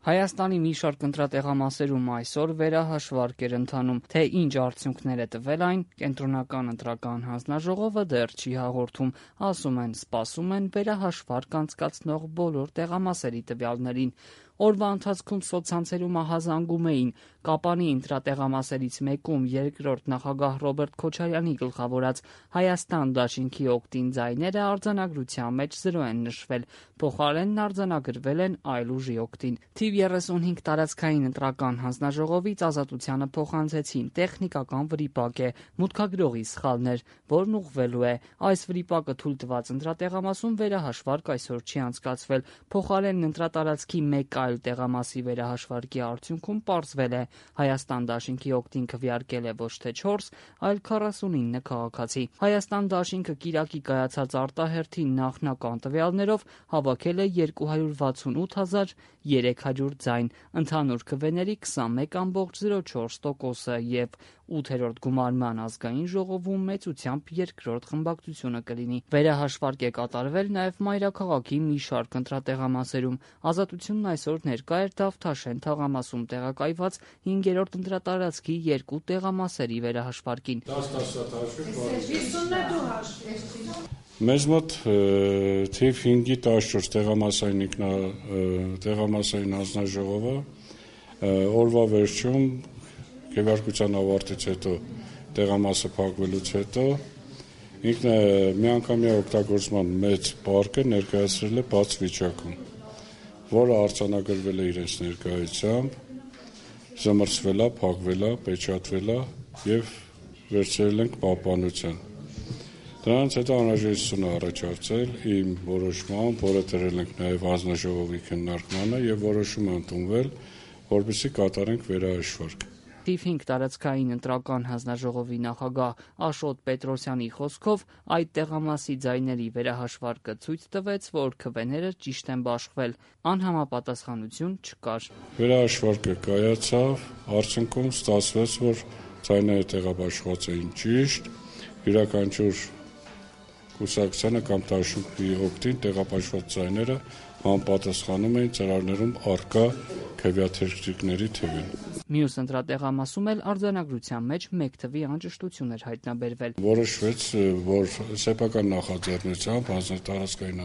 Հայաստանի մի շարք ընտրատեղամասերում այսօր վերահաշվարկ էր ընթանում, թե ինչ արդյունքներ է տվել այն, Կենտրոնական ընտրական հանձնաժողովը դեռ չի հաղորդում, ասում են, սպասում են վերահաշվարկ անցկացնող բոլոր տեղամասերի տվյալներին։ Օրվա ընթացքում սոցցանցերում ահազանգում էին Կապանի ընտրատեղամասերից մեկում երկրորդ նախագահ Ռոբերտ Քոչարյանի գլխավորած Հայաստան դաշինքի օգտին ձայները արձանագրության մեջ 0 են նշվել, փոխարենն արձանագրվել են այլ ուժի օգտին։ Թիվ 35 տարածքային ընտրական հանձնաժողովից Ազատությանը փոխանցեցին տեխնիկական վրիպակ է, մուտքագրողի սխալներ, որն ուղղվելու է։ Այս վրիպակը թույլ տված ընտրատեղամասում վերահաշվարկ այսօր չի անցկացվել, փոխարենն ընտրատարածքի մեկ այլ տեղամասի վերահաշվարկի արդյունքում պարզվել է Հայաստան դաշինքի օգտին քվեարկել է ոչ թե 4, այլ 49 քաղաքացի։ Հայաստան դաշինքը կիրակի կայացած արտահերթի նախնական տվյալներով հավաքել է 268,300 ձայն, ընդհանուր քվեների 21,04%-ը եւ 8-րդ գումարման ազգային ժողովում մեծությամբ երկրորդ խմբակցությունը կլինի։ Վերահաշվարկ է կատարվել նաեւ մայրաքաղաքի մի շարք ընտրատեղամասերում։ Ազատությունն այսօր ներկա էր Դավթաշեն թաղամասում տեղակայված 5-րդ ընտրատարածքի 2 տեղամասերի վերահաշվարկին։ Մեզ մոտ թիվ 5-ի 14 տեղամասային հանձնաժողովը օրվա վերջում քվեարկության ավարտից հետո տեղամասը փակվելուց հետո ինքն է միանգամյա օգտագործման մեծ պարկը ներկայացրել է բաց վիճակում, որը արձանագրվել է իրենց ներկայությամբ, զմռցվել է, փակվել է, պечатվել է եւ վերցրել ենք պահպանության։ Դրանից հետո անհրաժեշտություն է առաջացել իմ որոշմամբ, որը դրել ենք նաեւ հանձնաժողովի քննարկմանը եւ որոշում ընդունվել, որպեսզի կատարենք վերահաշվարկ։ Թիվ 5 տարածքային ընտրական հանձնաժողովի նախագահ Աշոտ Պետրոսյանի խոսքով այդ տեղամասի ձայների վերահաշվարկը ցույց տվեց, որ քվեները ճիշտ են բաշխվել, անհամապատասխանություն չկար։ Վերահաշվարկը կայացավ, արդյունքում ստացվեց, որ ձայները տեղաբաշխված էին ճիշտ, յուրաքանչյուր կուսակցությանը կամ դաշինքի օգտին տեղաբաշխված ձայները համապատասխանում էին ծրագրերում առկա քվեաթերթիկների թվին։ Մյուս ընտրատեղամասում էլ արձանագրության մեջ 1 թվի անճշտություն էր հայտնաբերվել։ Որոշվեց, որ սեփական նախաձեռնությամբ հանձնատարածքային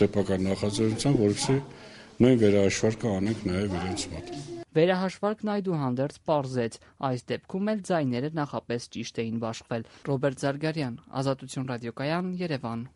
սեփական նախաձեռնությամբ, որովհետեւ նույն վերահաշվարկը անենք նաեւ իրենց մոտ։ Վերահաշվարկն այդուհանդերձ պարզեց, այս դեպքում էլ ձայները նախապես ճիշտ էին բաշխվել։ Ռոբերտ Զարգարյան, Ազատություն ռադիոկայան, Երևան։